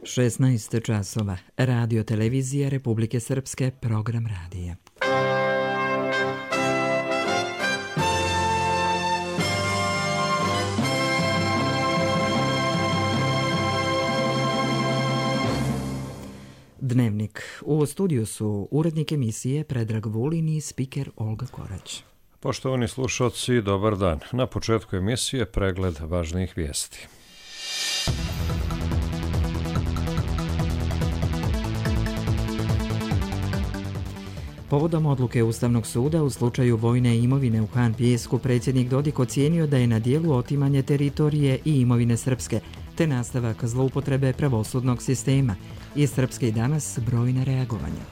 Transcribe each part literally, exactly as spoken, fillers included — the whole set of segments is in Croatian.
šesnaest časova. Radio televizija Republike Srpske, program radija. Dnevnik. U studiju su urednik emisije Predrag Vulin i spiker Olga Korać. Poštovani slušalci, dobar dan. Na početku emisije pregled važnijih vijesti. Povodom odluke Ustavnog suda u slučaju vojne imovine u Han Pijesku, predsjednik Dodik ocijenio da je na dijelu otimanje teritorije i imovine srpske, te nastavak zloupotrebe pravosudnog sistema. I Srpske i danas brojna reagovanja.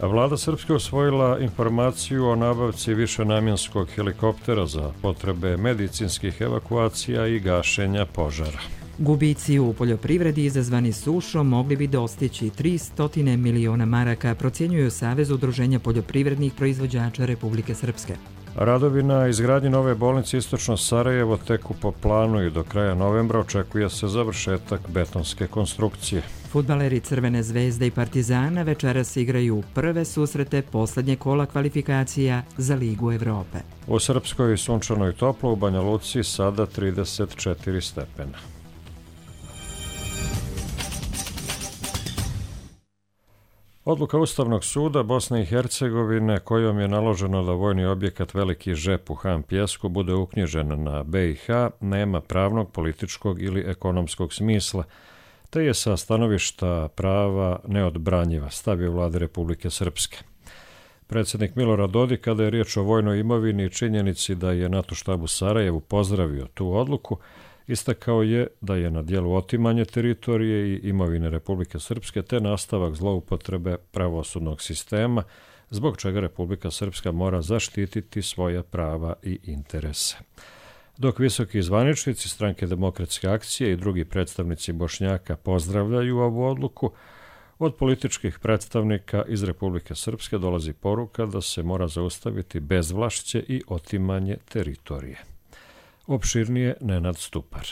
Vlada Srpske usvojila informaciju o nabavci višenamjenskog helikoptera za potrebe medicinskih evakuacija i gašenja požara. Gubici u poljoprivredi izazvani sušom mogli bi dostići tristo miliona maraka, procjenjuju Savez udruženja poljoprivrednih proizvođača Republike Srpske. Radovi na izgradnji nove bolnice Istočno Sarajevo teku po planu i do kraja novembra očekuje se završetak betonske konstrukcije. Fudbaleri Crvene zvezde i Partizana večeras igraju prve susrete posljednje kola kvalifikacija za Ligu Evrope. U Srpskoj sunčano i toplo, u Banja Luci sada trideset četiri stepena. Odluka Ustavnog suda Bosne i Hercegovine kojom je naloženo da vojni objekat Veliki Žep u Han Pijesku bude uknjižen na B i H nema pravnog, političkog ili ekonomskog smisla, te je sa stanovišta prava neodbranjiva, stavio Vlade Republike Srpske. Predsjednik Milorad Dodik, kada je riječ o vojnoj imovini i činjenici da je NATO štab u Sarajevu pozdravio tu odluku, istakao je da je na dijelu otimanje teritorije i imovine Republike Srpske te nastavak zloupotrebe pravosudnog sistema, zbog čega Republika Srpska mora zaštititi svoja prava i interese. Dok visoki zvaničnici Stranke demokratske akcije i drugi predstavnici Bošnjaka pozdravljaju ovu odluku, od političkih predstavnika iz Republike Srpske dolazi poruka da se mora zaustaviti bezvlašće i otimanje teritorije. Opširnije Nenad Stupar.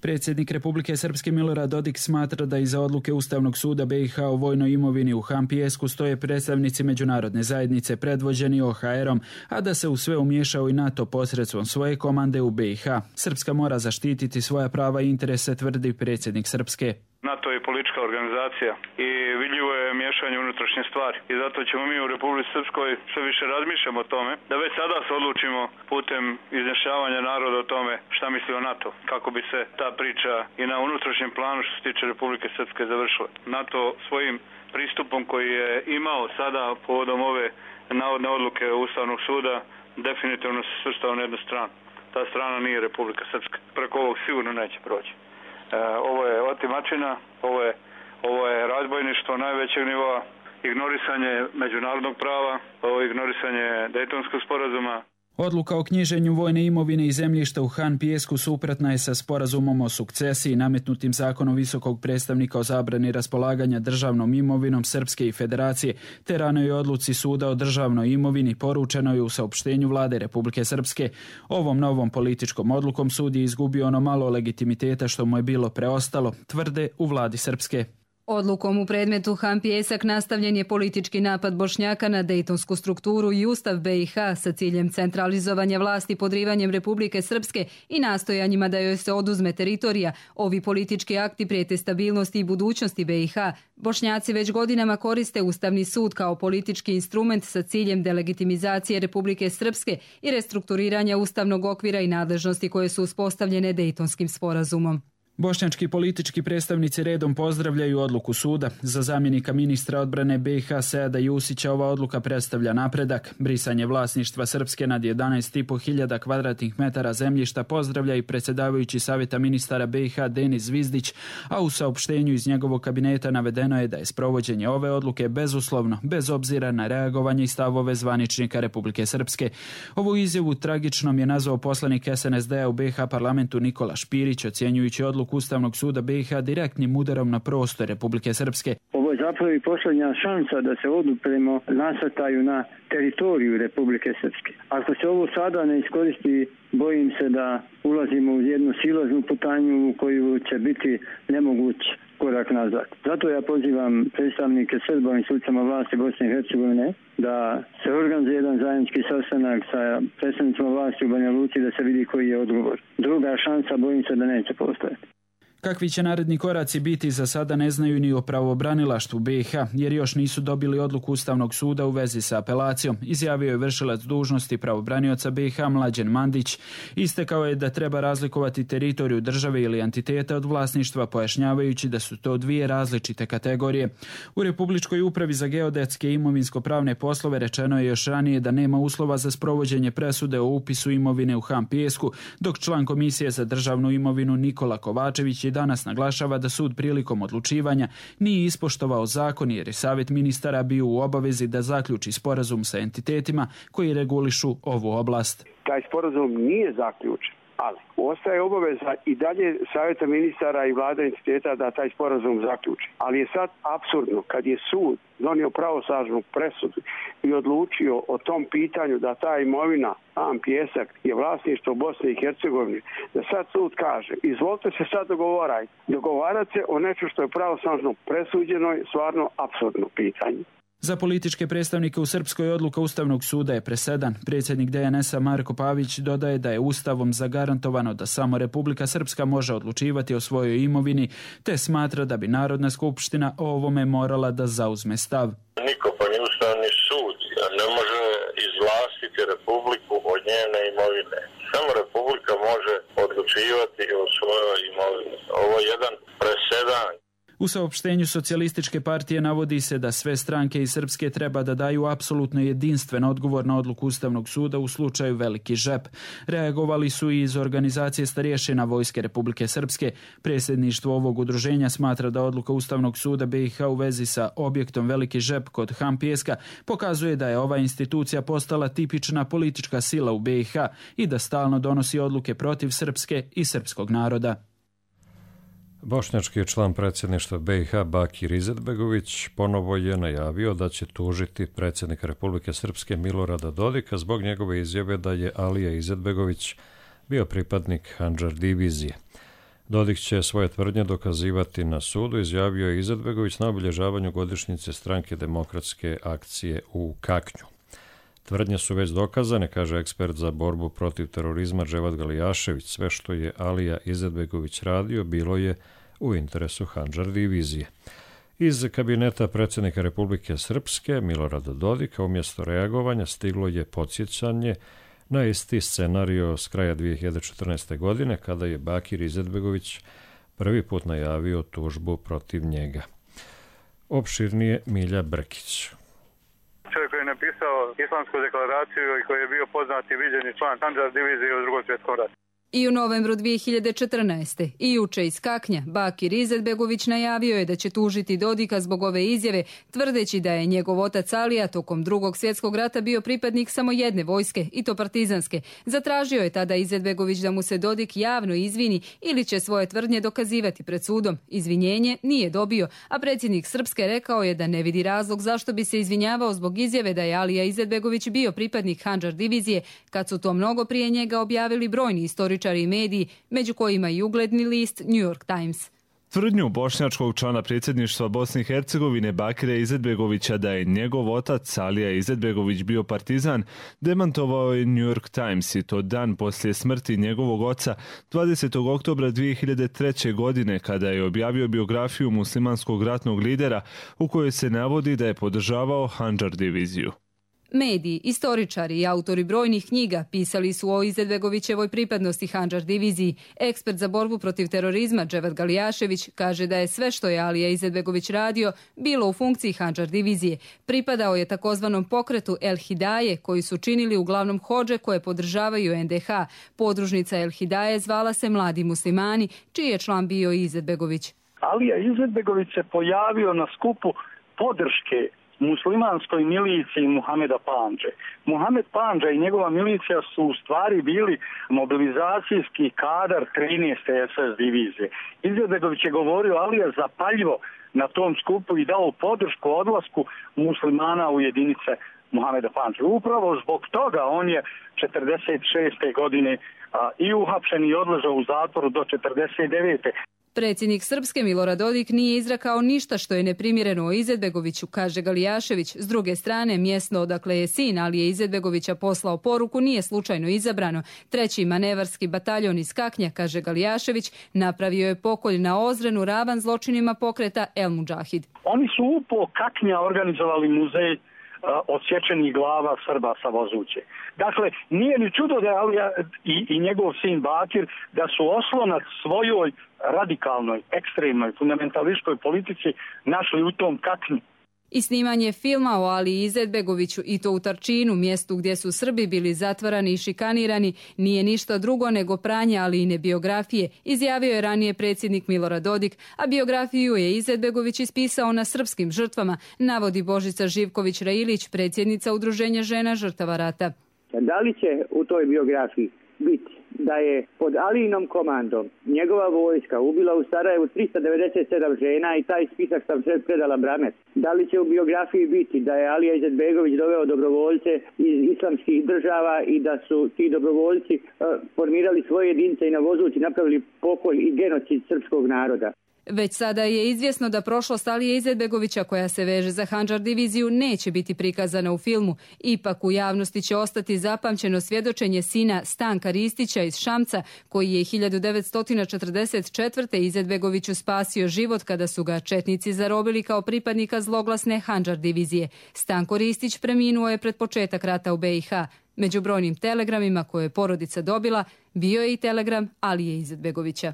Predsjednik Republike Srpske Milorad Dodik smatra da iza odluke Ustavnog suda B i H o vojnoj imovini u Han Pijesku stoje predstavnici međunarodne zajednice predvođeni O H R-om, a da se u sve umiješao i NATO posredstvom svoje komande u B i H. Srpska mora zaštititi svoja prava i interese, tvrdi predsjednik Srpske. NATO je politička organizacija i vidljivo je miješanje unutrašnje stvari. I zato ćemo mi u Republici Srpskoj sve više razmišljamo o tome, da već sada se odlučimo putem izjašnjavanja naroda o tome šta misli o NATO, kako bi se ta priča i na unutrašnjem planu što se tiče Republike Srpske završila. NATO svojim pristupom koji je imao sada povodom ove navodne odluke Ustavnog suda definitivno se svrstao na jednu stranu. Ta strana nije Republika Srpska. Preko ovog sigurno neće proći. Ovo je otimačina, ovo je, ovo je razbojništvo najvećeg nivoa, ignorisanje međunarodnog prava, ovo je ignorisanje Dejtonskog sporazuma. Odluka o knjiženju vojne imovine i zemljišta u Han Pijesku suprotna je sa sporazumom o sukcesiji nametnutim zakonom visokog predstavnika o zabrani raspolaganja državnom imovinom Srpske i Federacije, te ranoj odluci suda o državnoj imovini poručeno je u saopštenju Vlade Republike Srpske. Ovom novom političkom odlukom sud je izgubio ono malo legitimiteta što mu je bilo preostalo, tvrde u Vladi Srpske. Odlukom u predmetu Han Pijesak nastavljen je politički napad Bošnjaka na dejtonsku strukturu i Ustav B i H sa ciljem centralizovanja vlasti podrivanjem Republike Srpske i nastojanjima da joj se oduzme teritorija. Ovi politički akti prijete stabilnosti i budućnosti B i H. Bošnjaci već godinama koriste Ustavni sud kao politički instrument sa ciljem delegitimizacije Republike Srpske i restrukturiranja ustavnog okvira i nadležnosti koje su uspostavljene Dejtonskim sporazumom. Bošnjački politički predstavnici redom pozdravljaju odluku suda. Za zamjenika ministra odbrane B i H Seada Jusića ova odluka predstavlja napredak. Brisanje vlasništva Srpske nad jedanaest i po hiljada kvadratnih metara zemljišta pozdravlja i predsjedavajući savjeta ministara B i H Denis Zvizdić, a u saopštenju iz njegovog kabineta navedeno je da je sprovođenje ove odluke bezuslovno, bez obzira na reagovanje i stavove zvaničnika Republike Srpske. Ovu izjavu tragičnom je nazvao poslanik S N S D-a u B i H parlamentu Nikola Špirić, ocjenjujući odluku Ustavnog suda B i H direktnim udarom na prostor Republike Srpske. Ovo je zapravo i posljednja šansa da se odupremo nasrtaju na teritoriju Republike Srpske. Ako se ovo sada ne iskoristi, bojim se da ulazimo u jednu silaznu putanju u koju će biti nemoguć korak nazad. Zato ja pozivam predstavnike Srba u institucijama vlasti Bosne i Hercegovine da se organizuje jedan zajednički sastanak sa predstavnicima vlasti u Banja Luci da se vidi koji je odgovor. Druga šansa bojim se da neće postojati. Kakvi će naredni koraci biti za sada ne znaju ni o pravobranilaštvu B i H, jer još nisu dobili odluku Ustavnog suda u vezi sa apelacijom, izjavio je vršilac dužnosti pravobranioca B i H Mlađen Mandić. Istekao je da treba razlikovati teritoriju države ili entiteta od vlasništva, pojašnjavajući da su to dvije različite kategorije. U Republičkoj upravi za geodetske i imovinsko-pravne poslove rečeno je još ranije da nema uslova za sprovođenje presude o upisu imovine u Han Pijesku, dok član Komisije za državnu imovinu Nikola Kovačević je danas naglašava da sud prilikom odlučivanja nije ispoštovao zakon jer je savjet ministara bio u obavezi da zaključi sporazum sa entitetima koji regulišu ovu oblast. Taj sporazum nije zaključen, ali ostaje obaveza i dalje savjeta ministara i vlada entiteta da taj sporazum zaključi. Ali je sad apsurdno kad je sud donio pravosnažnu presudu i odlučio o tom pitanju da ta imovina Han Pijesak je vlasništvo Bosne i Hercegovine, da sad sud kaže izvolite se sad dogovarajte. Dogovarati se o nečem što je pravosnažno presuđeno je stvarno apsurdno pitanje. Za političke predstavnike u Srpskoj odluka Ustavnog suda je presedan. Predsjednik D N S-a Marko Pavić dodaje da je Ustavom zagarantovano da samo Republika Srpska može odlučivati o svojoj imovini, te smatra da bi Narodna skupština o ovome morala da zauzme stav. Niko pa ni Ustavni sud ne može izvlastiti Republiku od njene imovine. Samo Republika može odlučivati o svojoj imovini. Ovo je jedan presedan. U saopštenju Socijalističke partije navodi se da sve stranke iz Srpske treba da daju apsolutno jedinstven odgovor na odluku Ustavnog suda u slučaju Veliki žep. Reagovali su i iz organizacije starješina Vojske Republike Srpske. Predsjedništvo ovog udruženja smatra da odluka Ustavnog suda B i H u vezi sa objektom Veliki žep kod Han Pijeska pokazuje da je ova institucija postala tipična politička sila u B i H i da stalno donosi odluke protiv Srpske i srpskog naroda. Bošnjački je član predsjedništva B i H Bakir Izetbegović ponovo je najavio da će tužiti predsjednika Republike Srpske Milorada Dodika zbog njegove izjave da je Alija Izetbegović bio pripadnik Handžar divizije. Dodik će svoje tvrdnje dokazivati na sudu, izjavio je Izetbegović na obilježavanju godišnjice Stranke demokratske akcije u Kaknju. Tvrdnje su već dokazane, kaže ekspert za borbu protiv terorizma Dževad Galijašević. Sve što je Alija Izetbegović radio bilo je u interesu Handžar divizije. Iz kabineta predsjednika Republike Srpske Milorada Dodika umjesto reagovanja stiglo je podsjećanje na isti scenario s kraja dvije hiljade četrnaeste. godine kada je Bakir Izetbegović prvi put najavio tužbu protiv njega. Opširnije Milja Brkić. Čovjek koji je napisao Islamsku deklaraciju i koji je bio poznat i viđeni član Handžar divizije u Drugom svjetskom ratu. I u novembru dvije hiljade četrnaeste. i juče iz Kaknja Bakir Izetbegović najavio je da će tužiti Dodika zbog ove izjave, tvrdeći da je njegov otac Alija tokom Drugog svjetskog rata bio pripadnik samo jedne vojske, i to partizanske. Zatražio je tada Izetbegović da mu se Dodik javno izvini ili će svoje tvrdnje dokazivati pred sudom. Izvinjenje nije dobio, a predsjednik Srpske rekao je da ne vidi razlog zašto bi se izvinjavao zbog izjave da je Alija Izetbegović bio pripadnik Handžar divizije, kad su to mnogo prije njega objavili brojni istoričari i mediji, među kojima i ugledni list New York Times. Tvrdnju bošnjačkog člana predsjedništva Bosne i Hercegovine Bakira Izetbegovića da je njegov otac Alija Izetbegović bio partizan demantovao je New York Times, i to dan poslije smrti njegovog oca dvadesetog oktobra dvije hiljade treće. godine kada je objavio biografiju muslimanskog ratnog lidera u kojoj se navodi da je podržavao Handžar diviziju. Mediji, istoričari i autori brojnih knjiga pisali su o Izetbegovićevoj pripadnosti Handžar diviziji. Ekspert za borbu protiv terorizma Dževad Galijašević kaže da je sve što je Alija Izetbegović radio bilo u funkciji Handžar divizije. Pripadao je takozvanom pokretu El Hidaje, koji su činili uglavnom hodže koje podržavaju N D H. Podružnica El Hidaje zvala se Mladi muslimani, čiji je član bio i Izetbegović. Alija Izetbegović se pojavio na skupu podrške muslimanskoj miliciji Muhameda Pandže. Muhamed Pandža i njegova milicija su u stvari bili mobilizacijski kadar trinaeste es es divizije. Izetbegović je govorio Alija zapaljivo na tom skupu i dao podršku odlasku muslimana u jedinice Muhameda Pandže. Upravo zbog toga on je četrdeset šeste. godine a, i uhapšen i odležao u zatvoru do četrdeset devete. Predsjednik Srpske Milorad Dodik nije izrekao ništa što je neprimjereno o Izetbegoviću, kaže Galijašević. S druge strane, mjesto odakle je sin Alije Izetbegovića poslao poruku nije slučajno izabrano. Treći manevarski bataljon iz Kaknja, kaže Galijašević, napravio je pokolj na Ozrenu ravan zločinima pokreta El Mudžahid. Oni su upo Kaknja organizovali muzej odsječenih glava Srba sa Vozuće. Dakle, nije ni čudo da je Alija i, i njegov sin Bakir da su oslonac svojoj radikalnoj, ekstremnoj, fundamentalističkoj politici našli u tom Kaknju. I snimanje filma o Aliji Izetbegoviću i to u Tarčinu, mjestu gdje su Srbi bili zatvarani i šikanirani, nije ništa drugo nego pranje Alijine biografije, izjavio je ranije predsjednik Milorad Dodik, a biografiju je Izetbegović ispisao na srpskim žrtvama, navodi Božica Živković-Railić, predsjednica Udruženja žena žrtava rata. Da li će u toj biografiji biti da je pod Alijinom komandom njegova vojska ubila u Sarajevu trista devedeset sedam žena i taj spisak sam sve predala Bramet? Da li će u biografiji biti da je Alija Izetbegović doveo dobrovoljce iz islamskih država i da su ti dobrovoljci uh, formirali svoje jedinice i na Vozući napravili pokolj i genocid srpskog naroda? Već sada je izvjesno da prošlost Alije Izetbegovića, koja se veže za Handžar diviziju, neće biti prikazana u filmu. Ipak u javnosti će ostati zapamćeno svjedočenje sina Stanka Ristića iz Šamca, koji je hiljadu devetsto četrdeset četvrte. Izetbegoviću spasio život kada su ga četnici zarobili kao pripadnika zloglasne Handžar divizije. Stanko Ristić preminuo je pred početak rata u B i H. Među brojnim telegramima koje je porodica dobila, bio je i telegram Alije Izetbegovića.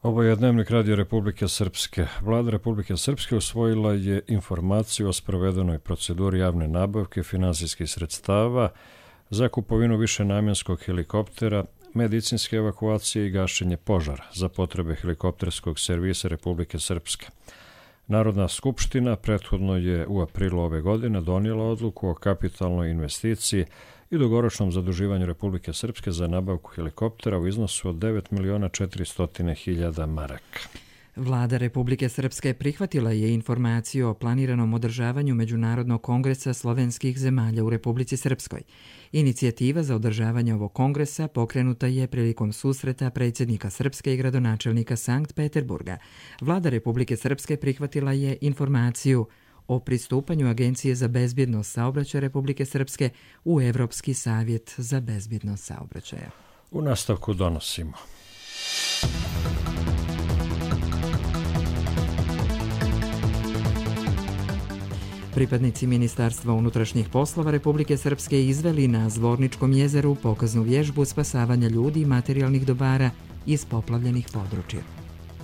Ovo je Dnevnik Radio Republike Srpske. Vlada Republike Srpske usvojila je informaciju o sprovedenoj proceduri javne nabavke finansijskih sredstava za kupovinu višenamjenskog helikoptera, medicinske evakuacije i gašenje požara za potrebe helikopterskog servisa Republike Srpske. Narodna skupština prethodno je u aprilu ove godine donijela odluku o kapitalnoj investiciji i dugoročnom zaduživanju Republike Srpske za nabavku helikoptera u iznosu od devet miliona četiristo hiljada maraka. Vlada Republike Srpske prihvatila je informaciju o planiranom održavanju Međunarodnog kongresa slovenskih zemalja u Republici Srpskoj. Inicijativa za održavanje ovog kongresa pokrenuta je prilikom susreta predsjednika Srpske i gradonačelnika Sankt Peterburga. Vlada Republike Srpske prihvatila je informaciju o pristupanju Agencije za bezbjednost saobraćaja Republike Srpske u Evropski savjet za bezbjednost saobraćaja. U nastavku donosimo. Pripadnici Ministarstva unutrašnjih poslova Republike Srpske izveli na Zvorničkom jezeru pokaznu vježbu spasavanja ljudi i materijalnih dobara iz poplavljenih područja.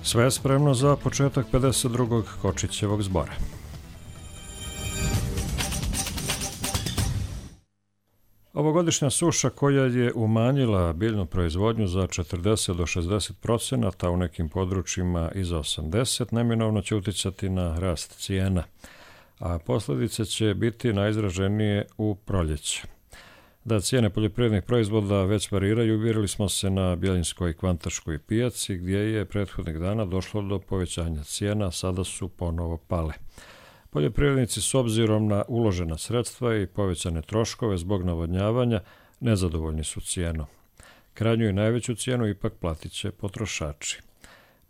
Sve je spremno za početak pedeset drugog Kočićevog zbora. Ovogodišnja suša koja je umanjila biljnu proizvodnju za četrdeset do šezdeset procenata, a u nekim područjima i za osamdeset, neminovno će uticati na rast cijena, a posljedice će biti najizraženije u proljeće. Da cijene poljoprivrednih proizvoda već variraju, uvjerili smo se na Bjeljinskoj kvantaškoj pijaci, gdje je prethodnih dana došlo do povećanja cijena, a sada su ponovo pale. Poljoprivrednici s obzirom na uložena sredstva i povećane troškove zbog navodnjavanja nezadovoljni su cijenom. Krajnju i najveću cijenu ipak platit će potrošači.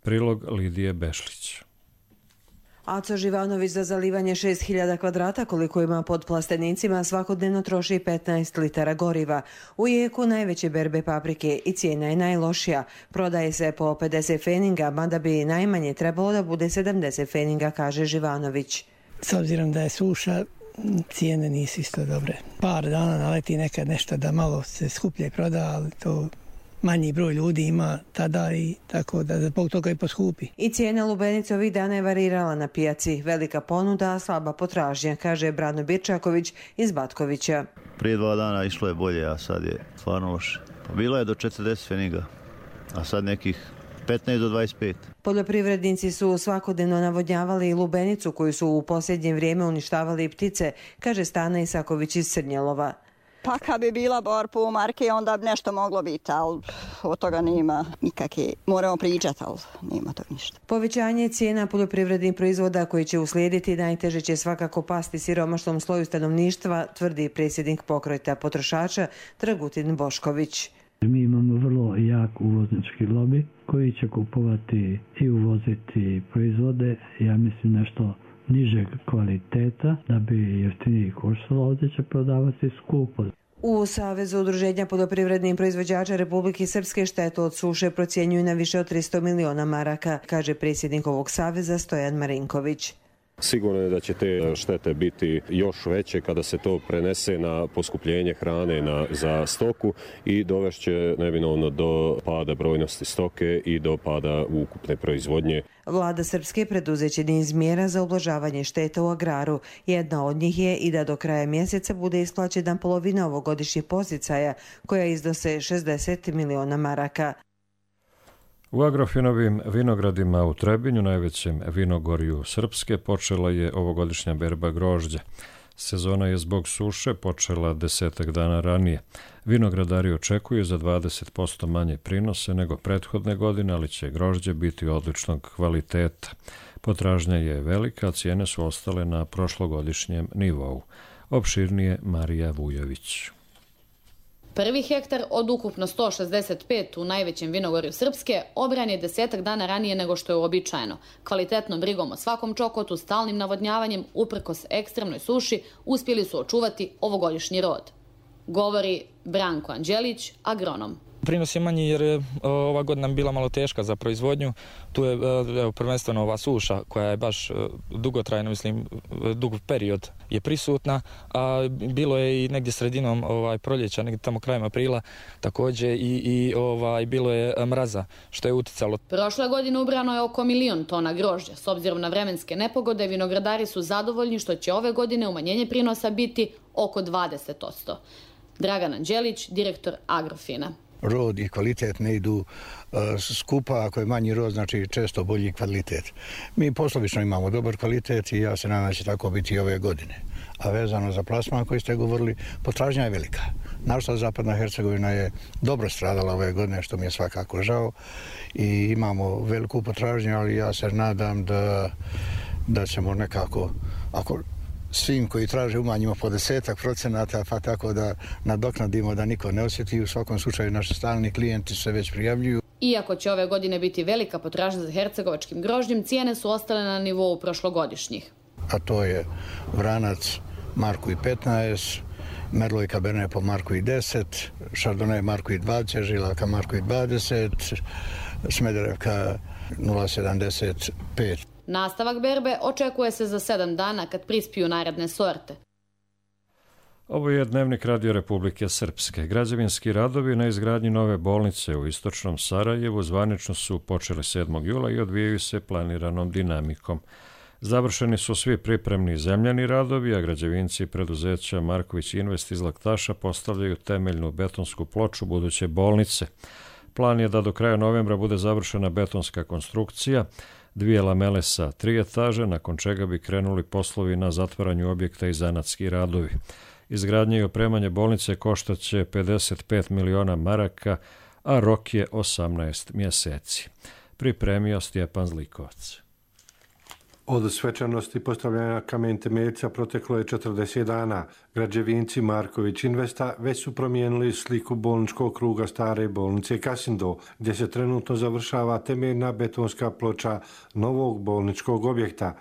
Prilog Lidije Bešlić. Aco Živanović za zalivanje šest hiljada kvadrata koliko ima pod plastenicima svakodnevno troši petnaest litara goriva. U jeku najveće berbe paprike i cijena je najlošija. Prodaje se po pedeset feninga, mada bi najmanje trebalo da bude sedamdeset feninga, kaže Živanović. S obzirom da je suša, cijene nisu isto dobre. Par dana naleti nekad nešto da malo se skuplje proda, ali to manji broj ljudi ima tada i tako da zbog toga i poskupi. I cijena lubenice ovih dana je varirala na pijaci. Velika ponuda, a slaba potražnja, kaže Brano Birčaković iz Batkovića. Prije dva dana išlo je bolje, a sad je stvarno loše. Bilo je do četrdeset feniga, a sad nekih petnaest do dvadeset pet. Poljoprivrednici su svakodnevno navodnjavali i lubenicu koju su u posljednje vrijeme uništavali i ptice, kaže Stana Isaković iz Srnjelova. Pa kad bi bila bar po marke, onda bi nešto moglo biti, ali od toga nema nikakve. Moramo pričati, ali nema to ništa. Povećanje cijena poljoprivrednih proizvoda koji će uslijediti najteže će svakako pasti siromašnom sloju stanovništva, tvrdi predsjednik pokreta potrošača Dragutin Bošković. Mi imamo vrlo jako uvoznički lobby koji će kupovati i uvoziti proizvode, ja mislim nešto nižeg kvaliteta da bi jeftiniji koštalo, ovdje će prodavati skupo. U Savezu udruženja poljoprivrednih proizvođača Republike Srpske štetu od suše procjenjuju na više od tristo miliona maraka, kaže predsjednik ovog saveza Stojan Marinković. Sigurno je da će te štete biti još veće kada se to prenese na poskupljenje hrane na, za stoku i dovešće neminovno do pada brojnosti stoke i do pada ukupne proizvodnje. Vlada Srpske preduzeće niz mjera za ublažavanje šteta u agraru. Jedna od njih je i da do kraja mjeseca bude isplaćena polovina ovogodišnjih podsticaja koja iznose šezdeset miliona maraka. U Agrofinovim vinogradima u Trebinju, najvećem vinogorju Srpske, počela je ovogodišnja berba grožđa. Sezona je zbog suše počela desetak dana ranije. Vinogradari očekuju za dvadeset posto manje prinose nego prethodne godine, ali će grožđe biti odličnog kvaliteta. Potražnja je velika, a cijene su ostale na prošlogodišnjem nivou. Opširnije Marija Vujović. Prvi hektar od ukupno sto šezdeset pet u najvećem vinogorju Srpske obran je desetak dana ranije nego što je uobičajeno. Kvalitetnom brigom o svakom čokotu, stalnim navodnjavanjem, uprkos ekstremnoj suši, uspjeli su očuvati ovogodišnji rod. Govori Branko Anđelić, agronom. Prinos je manji jer je ova godina bila malo teška za proizvodnju. Tu je evo, prvenstveno ova suša koja je baš dugotrajna, mislim, dug period je prisutna, a bilo je i negdje sredinom ovaj, proljeća, negdje tamo krajem aprila, također i, i ovaj, bilo je mraza, što je uticalo. Prošle godine ubrano je oko milion tona grožđa. S obzirom na vremenske nepogode, vinogradari su zadovoljni što će ove godine umanjenje prinosa biti oko dvadeset posto. Dragan Anđelić, direktor Agrofina. Rod i kvalitet ne idu uh, skupa, ako je manji rod, znači često bolji kvalitet. Mi poslovično imamo dobar kvalitet i ja se nadam da će tako biti i ove godine. A vezano za plasman koji ste govorili, potražnja je velika. Naša Zapadna Hercegovina je dobro stradala ove godine, što mi je svakako žao. I imamo veliku potražnju, ali ja se nadam da, da ćemo nekako, ako svim koji traže umanjimo po desetak procenata, pa tako da nadoknadimo da niko ne osjeti. U svakom slučaju naši stalni klijenti se već prijavljuju. Iako će ove godine biti velika potražnja za hercegovačkim grožđem, cijene su ostale na nivou prošlogodišnjih. A to je Vranac Marku i petnaest, Merlot i Cabernet po Marku i deset, Chardonnay Marku i dvadeset, Žilaka Marku i dvadeset, Smederevka nula sedamdeset pet. Nastavak berbe očekuje se za sedam dana kad prispiju naredne sorte. Ovo je Dnevnik Radio Republike Srpske. Građevinski radovi na izgradnji nove bolnice u istočnom Sarajevu zvanično su počeli sedmog jula i odvijaju se planiranom dinamikom. Završeni su svi pripremni zemljani radovi, a građevinci preduzeća Marković Invest iz Laktaša postavljaju temeljnu betonsku ploču buduće bolnice. Plan je da do kraja novembra bude završena betonska konstrukcija, dvije lamele sa tri etaže, nakon čega bi krenuli poslovi na zatvaranju objekta i zanatski radovi. Izgradnje i opremanje bolnice koštaće pedeset pet miliona maraka, a rok je osamnaest mjeseci. Pripremio Stjepan Zlikovac. Od svečanosti postavljanja kamen temeljca proteklo je četrdeset dana. Građevinci Marković Investa već su promijenili sliku bolničkog kruga stare bolnice Kasindo, gdje se trenutno završava temeljna betonska ploča novog bolničkog objekta.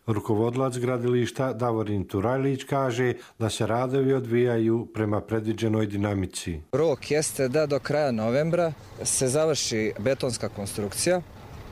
Rukovodilac gradilišta Davorin Turajlić kaže da se radovi odvijaju prema predviđenoj dinamici. Rok jeste da do kraja novembra se završi betonska konstrukcija.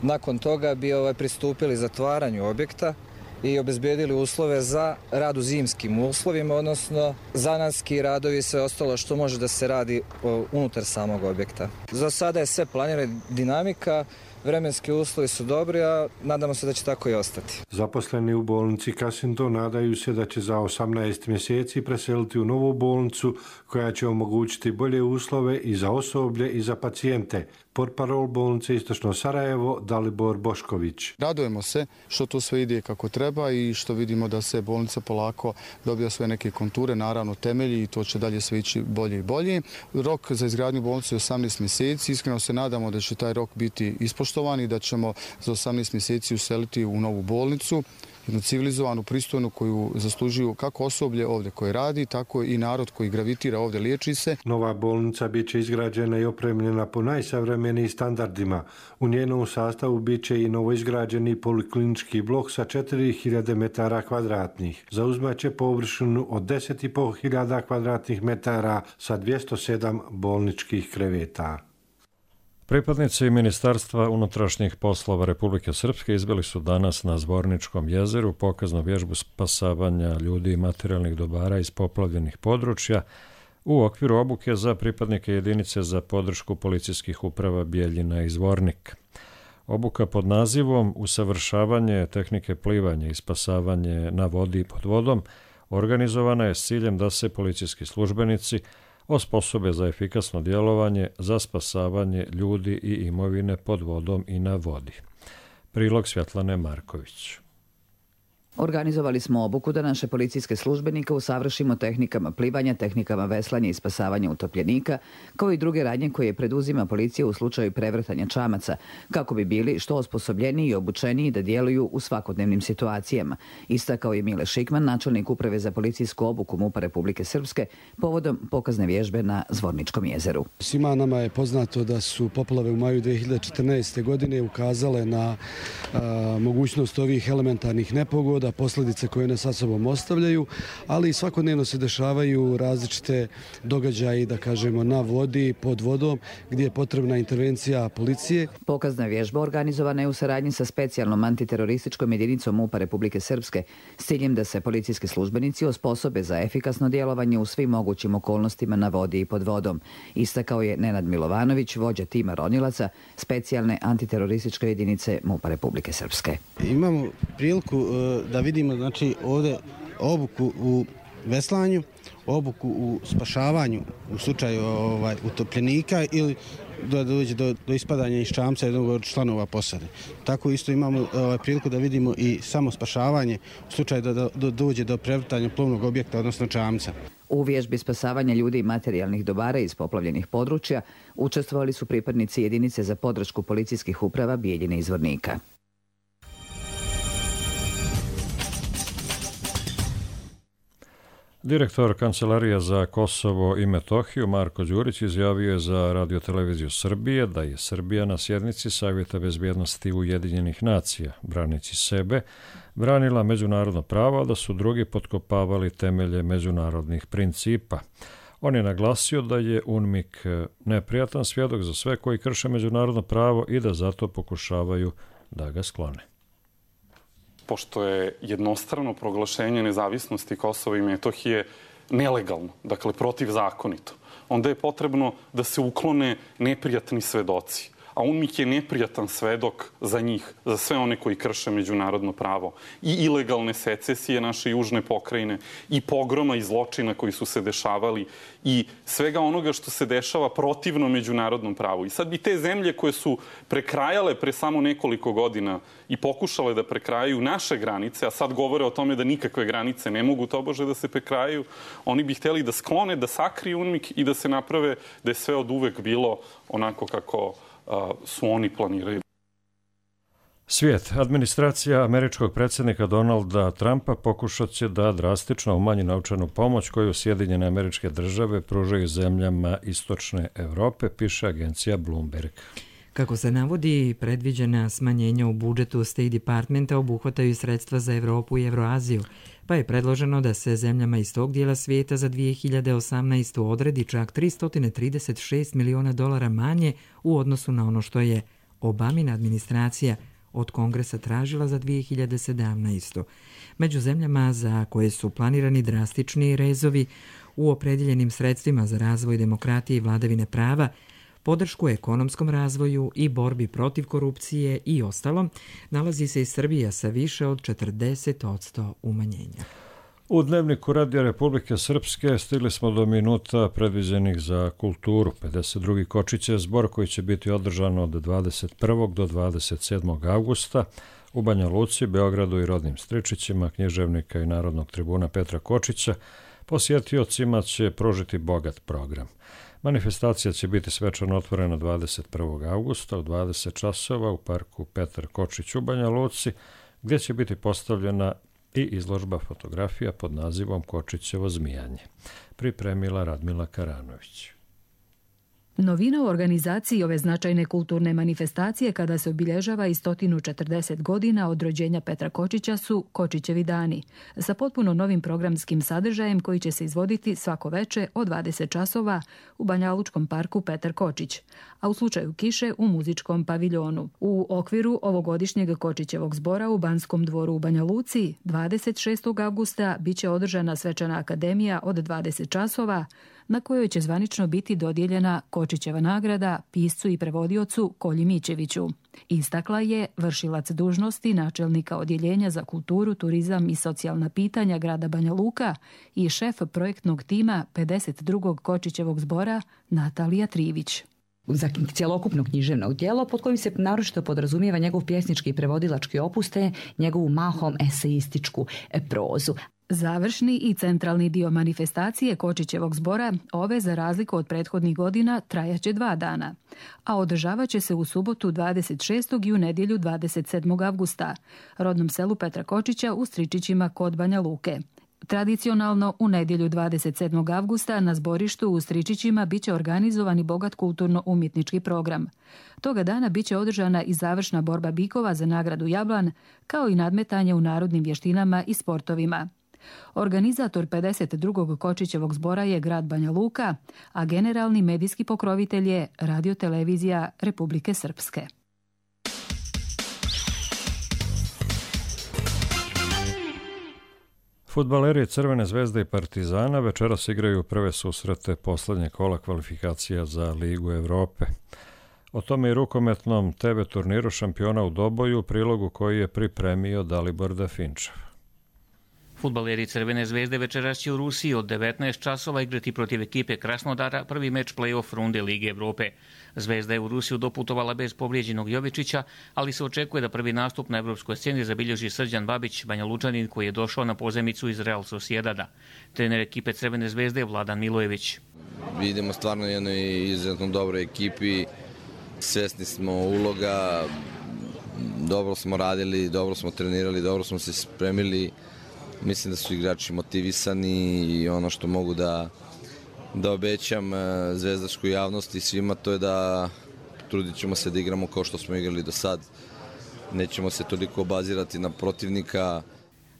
Nakon toga bi ovaj, pristupili zatvaranju objekta i obezbijedili uslove za rad u zimskim uslovima, odnosno zanatski radovi i sve ostalo što može da se radi o, unutar samog objekta. Za sada je sve planirana dinamika, vremenski uslovi su dobri, a nadamo se da će tako i ostati. Zaposleni u bolnici Kasindo nadaju se da će za osamnaest mjeseci preseliti u novu bolnicu koja će omogućiti bolje uslove i za osoblje i za pacijente. Portparol bolnice Istočno Sarajevo Dalibor Bošković. Radujemo se što to sve ide kako treba i što vidimo da se bolnica polako dobija sve neke konture, naravno temelji i to će dalje sve ići bolje i bolje. Rok za izgradnju bolnice je osamnaest mjeseci. Iskreno se nadamo da će taj rok biti ispoštovan i da ćemo za osamnaest mjeseci useliti u novu bolnicu. jednu civilizovanu, pristojnu koju zaslužuju kako osoblje ovdje koje radi, tako i narod koji gravitira ovdje, liječi se. Nova bolnica bit će izgrađena i opremljena po najsavremenijim standardima. U njenom sastavu bit će i novoizgrađeni poliklinički blok sa četiri hiljade metara kvadratnih. Zauzmaće površinu od deset i pol hiljada kvadratnih metara sa dvjesto sedam bolničkih kreveta. Pripadnici Ministarstva unutrašnjih poslova Republike Srpske izveli su danas na Zvorničkom jezeru pokaznu vježbu spasavanja ljudi i materijalnih dobara iz poplavljenih područja u okviru obuke za pripadnike jedinice za podršku policijskih uprava Bijeljina i Zvornik. Obuka pod nazivom Usavršavanje tehnike plivanja i spasavanje na vodi i pod vodom organizovana je s ciljem da se policijski službenici osposobe za efikasno djelovanje za spasavanje ljudi i imovine pod vodom i na vodi. Prilog Svjetlane Marković. Organizovali smo obuku da naše policijske službenike usavršimo tehnikama plivanja, tehnikama veslanja i spasavanja utopljenika, kao i druge radnje koje preduzima policija u slučaju prevrtanja čamaca, kako bi bili što osposobljeniji i obučeniji da djeluju u svakodnevnim situacijama. Istakao je Mile Šikman, načelnik uprave za policijsku obuku MUP-a Republike Srpske, povodom pokazne vježbe na Zvorničkom jezeru. Svima nama je poznato da su poplave u maju dvije hiljade četrnaeste. godine ukazale na a, mogućnost ovih elementarnih nepogoda, posljedice koje nas sa sobom ostavljaju, ali svakodnevno se dešavaju različite događaje, da kažemo, na vodi, pod vodom, gdje je potrebna intervencija policije. Pokazna vježba organizovana je u saradnji sa specijalnom antiterorističkom jedinicom MUP-a Republike Srpske s ciljem da se policijski službenici osposobe za efikasno djelovanje u svim mogućim okolnostima na vodi i pod vodom. Istakao je Nenad Milovanović, vođa tima ronilaca specijalne antiterorističke jedinice MUP-a Republike Srpske. Imamo priliku da vidimo, znači, ovdje obuku u veslanju, obuku u spašavanju u slučaju ovaj, utopljenika ili da dođe do, do ispadanja iz čamca jednog od članova posade. Tako isto imamo ovaj, priliku da vidimo i samo spašavanje u slučaju da, da dođe do prevrtanja plovnog objekta, odnosno čamca. U vježbi spasavanja ljudi i materijalnih dobara iz poplavljenih područja učestvovali su pripadnici jedinice za podršku policijskih uprava Bijeljine i Zvornika. Direktor Kancelarija za Kosovo i Metohiju Marko Đurić izjavio je za Radioteleviziju Srbije da je Srbija na sjednici Savjeta bezbjednosti Ujedinjenih nacija, branići sebe, branila međunarodno pravo, a da su drugi potkopavali temelje međunarodnih principa. On je naglasio da je UNMIK neprijatan svjedok za sve koji krše međunarodno pravo i da zato pokušavaju da ga sklone. Pošto je jednostrano proglašenje nezavisnosti Kosova i Metohije nelegalno, dakle protivzakonito, onda je potrebno da se uklone neprijatni svedoci. A UNMIK je neprijatan svedok za njih, za sve one koji krše međunarodno pravo. I ilegalne secesije naše južne pokrajine, i pogroma i zločina koji su se dešavali, i svega onoga što se dešava protivno međunarodnom pravu. I sad bi te zemlje koje su prekrajale pre samo nekoliko godina i pokušale da prekrajaju naše granice, a sad govore o tome da nikakve granice ne mogu tobože da se prekrajaju, oni bi htjeli da sklone, da sakriju UNMIK i da se naprave da je sve od uvek bilo onako kako su oni planiraju. Svijet. Administracija američkog predsjednika Donalda Trumpa pokušat će da drastično umanji novčanu pomoć koju Sjedinjene Američke Države pružaju zemljama istočne Europe, piše agencija Bloomberg. Kako se navodi, predviđena smanjenja u budžetu State Departmenta obuhvataju sredstva za Evropu i Evroaziju, pa je predloženo da se zemljama iz tog dijela svijeta za dvije hiljade osamnaestu. odredi čak tristo trideset šest miliona dolara manje u odnosu na ono što je Obamina administracija od Kongresa tražila za dvije hiljade sedamnaestu. Među zemljama za koje su planirani drastični rezovi u opredjeljenim sredstvima za razvoj demokratije i vladavine prava, podršku ekonomskom razvoju i borbi protiv korupcije i ostalom, nalazi se i Srbija sa više od četrdeset posto umanjenja. U Dnevniku Radija Republike Srpske stigli smo do minuta predviđenih za kulturu. pedeset drugi Kočić je zbor koji će biti održan od dvadeset prvog do dvadeset sedmog avgusta u Banja Luci, Beogradu i rodnim Stričićima, književnika i narodnog tribuna Petra Kočića. Posjetiocima će pružiti bogat program. Manifestacija će biti svečano otvorena dvadeset prvog avgusta u dvadeset časova u parku Petar Kočić u Banja Luci, gdje će biti postavljena i izložba fotografija pod nazivom Kočićevo zmijanje. Pripremila Radmila Karanović. Novina u organizaciji ove značajne kulturne manifestacije kada se obilježava i sto četrdeset godina od rođenja Petra Kočića su Kočićevi dani, sa potpuno novim programskim sadržajem koji će se izvoditi svako veče od dvadeset časova u Banjalučkom parku Petar Kočić, a u slučaju kiše u muzičkom paviljonu. U okviru ovogodišnjeg Kočićevog zbora u Banskom dvoru u Banja Luci dvadeset šestog avgusta biće održana svečana akademija od dvadeset časova na kojoj će zvanično biti dodijeljena Kočićeva nagrada piscu i prevodiocu Kolji Mićeviću. Istakla je vršilac dužnosti načelnika Odjeljenja za kulturu, turizam i socijalna pitanja grada Banja Luka i šef projektnog tima pedeset drugog Kočićevog zbora Natalija Trivić. Za cjelokupno književno djelo pod kojim se naročito podrazumijeva njegov pjesnički i prevodilački opus te njegovu mahom eseističku prozu. Završni i centralni dio manifestacije Kočićevog zbora ove, za razliku od prethodnih godina, trajaće dva dana, a održavat će se u subotu dvadeset šestog i u nedjelju dvadeset sedmog avgusta, rodnom selu Petra Kočića u Stričićima kod Banja Luke. Tradicionalno, u nedjelju dvadeset sedmog avgusta na zborištu u Stričićima biće organizovan i bogat kulturno-umjetnički program. Toga dana biće održana i završna borba bikova za nagradu Jablan, kao i nadmetanje u narodnim vještinama i sportovima. Organizator pedeset drugog Kočićevog zbora je grad Banja Luka, a generalni medijski pokrovitelj je Radio-televizija Republike Srpske. Fudbaleri Crvene zvezde i Partizana večeras igraju prve susrete posljednje kola kvalifikacija za Ligu Evrope. O tome i rukometnom te ve turniru šampiona u Doboju u prilogu koji je pripremio Dalibor Dafinčev. Fudbaleri Crvene zvezde večeras će u Rusiji od devetnaest časova igrati protiv ekipe Krasnodara prvi meč play-off runde Lige Evrope. Zvezda je u Rusiju doputovala bez povrijeđenog Jovičića, ali se očekuje da prvi nastup na evropskoj sceni zabilježi Srđan Babić, Banjalučanin koji je došao na pozemicu iz Real Sociedada. Trener ekipe Crvene zvezde je Vladan Milojević. Vidimo stvarno jednoj izuzetno dobroj ekipi, svjesni smo uloga, dobro smo radili, dobro smo trenirali, dobro smo se spremili. Mislim da su igrači motivisani i ono što mogu da, da obećam zvezdaškoj javnosti i svima, to je da trudit ćemo se da igramo kao što smo igrali do sad. Nećemo se toliko obazirati na protivnika.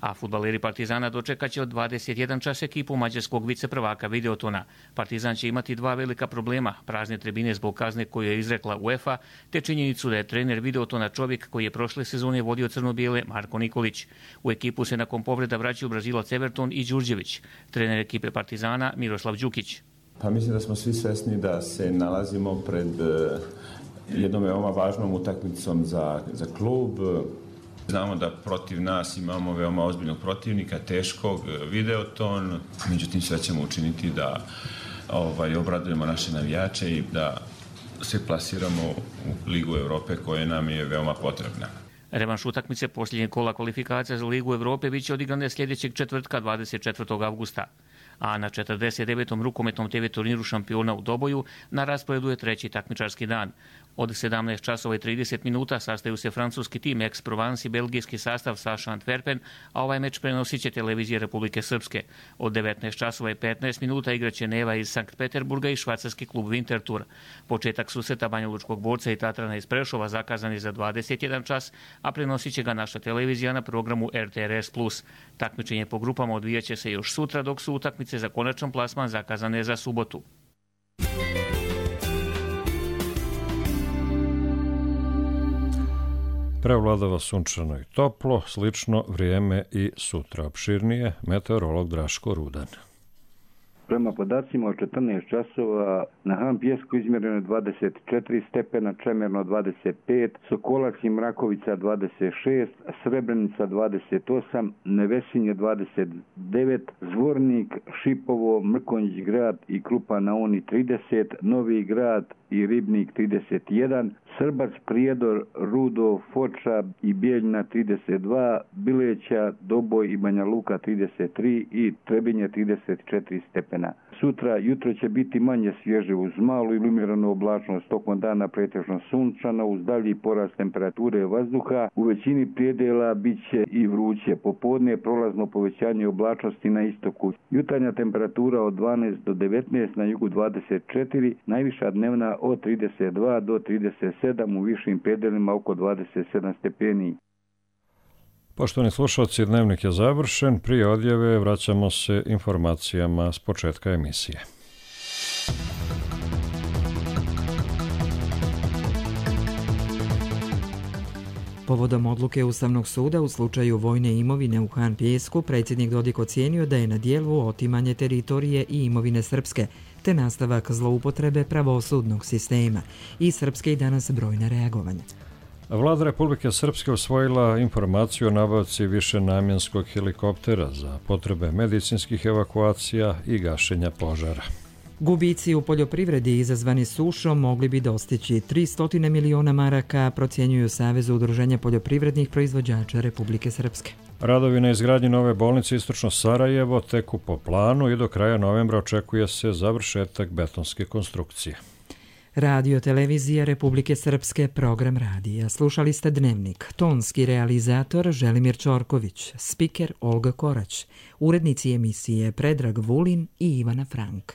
A fudbaleri Partizana dočekat će od dvadeset jedan čas ekipu mađarskog viceprvaka Videotona. Partizan će imati dva velika problema, prazne tribine zbog kazne koju je izrekla UEFA, te činjenicu da je trener Videotona čovjek koji je prošle sezone vodio crno-bijele Marko Nikolić. U ekipu se nakon povreda vraćaju Brazilac Everton i Đurđević, trener ekipe Partizana Miroslav Đukić. Pa mislim da smo svi svesni da se nalazimo pred jednom veoma važnom utakmicom za, za klub. Znamo da protiv nas imamo veoma ozbiljnog protivnika, teškog, Videoton, međutim sve ćemo učiniti da ovaj, obradujemo naše navijače i da se plasiramo u Ligu Evrope koja nam je veoma potrebna. Revanš utakmice posljednjeg kola kvalifikacija za Ligu Evrope biće odigrane sljedećeg četvrtka dvadeset četvrtog avgusta. A na četrdeset devetom rukometnom te ve turniru šampiona u Doboju na rasporedu je treći takmičarski dan. Od sedamnaest časova i trideset minuta sastaju se francuski tim Aix-Provence i belgijski sastav Saša Antwerpen, a ovaj meč prenosit će televizije Republike Srpske. Od devetnaest časova i petnaest minuta igraće Neva iz Sankt Peterburga i švajcarski klub Winterthur. Početak susreta Banjalučkog borca i Tatrana iz Prešova zakazan je za dvadeset jedan čas, a prenosit će ga naša televizija na programu er te er es plus. Takmičenje po grupama odvijat će se još sutra, dok su utakmice za konačan plasman zakazane za subotu. Prevladava sunčano i toplo, slično vrijeme i sutra. Opširnije, meteorolog Draško Rudan. Prema podacima od četrnaest časova na Han Pijesku izmjereno je dvadeset četiri stepena, Čemerno dvadeset pet, Sokolac i Mrakovica dvadeset šest, Srebrenica dvadeset osam, Nevesinje dvadeset devet, Zvornik, Šipovo, Mrkonjić grad i Krupa na Oni trideset, Novi grad i Ribnik trideset jedan, Srbac, Prijedor, Rudo, Foča i Bijeljna trideset dva, Bileća, Doboj i Banja Luka trideset tri i Trebinje trideset četiri stepena. vremena. Sutra jutro će biti manje svježe uz malu iluminiranu oblačnost, tokom dana pretežno sunčano uz dalji porast temperature vazduha. U većini predela bit će i vruće. Popodne prolazno povećanje oblačnosti na istoku. Jutarnja temperatura od dvanaest do devetnaest, na jugu dvadeset četiri, najviša dnevna od trideset dva do trideset sedam, u višim predelima oko dvadeset sedam stepeni. Poštovani slušalci, dnevnik je završen. Prije odjave vraćamo se informacijama s početka emisije. Povodom odluke Ustavnog suda u slučaju vojne imovine u Han Pijesku, predsjednik Dodik ocijenio da je na dijelu otimanje teritorije i imovine srpske, te nastavak zloupotrebe pravosudnog sistema i srpske i danas brojna reagovanja. Vlada Republike Srpske usvojila informaciju o nabavci višenamjenskog helikoptera za potrebe medicinskih evakuacija i gašenja požara. Gubici u poljoprivredi izazvani sušom mogli bi dostići tristo miliona maraka, procjenjuju Savez udruženja poljoprivrednih proizvođača Republike Srpske. Radovi na izgradnji nove bolnice Istočno Sarajevo teku po planu i do kraja novembra očekuje se završetak betonske konstrukcije. Radio Televizija Republike Srpske, program radija. Slušali ste Dnevnik. Tonski realizator Želimir Čorković, spiker Olga Korać, urednici emisije Predrag Vulin i Ivana Frank.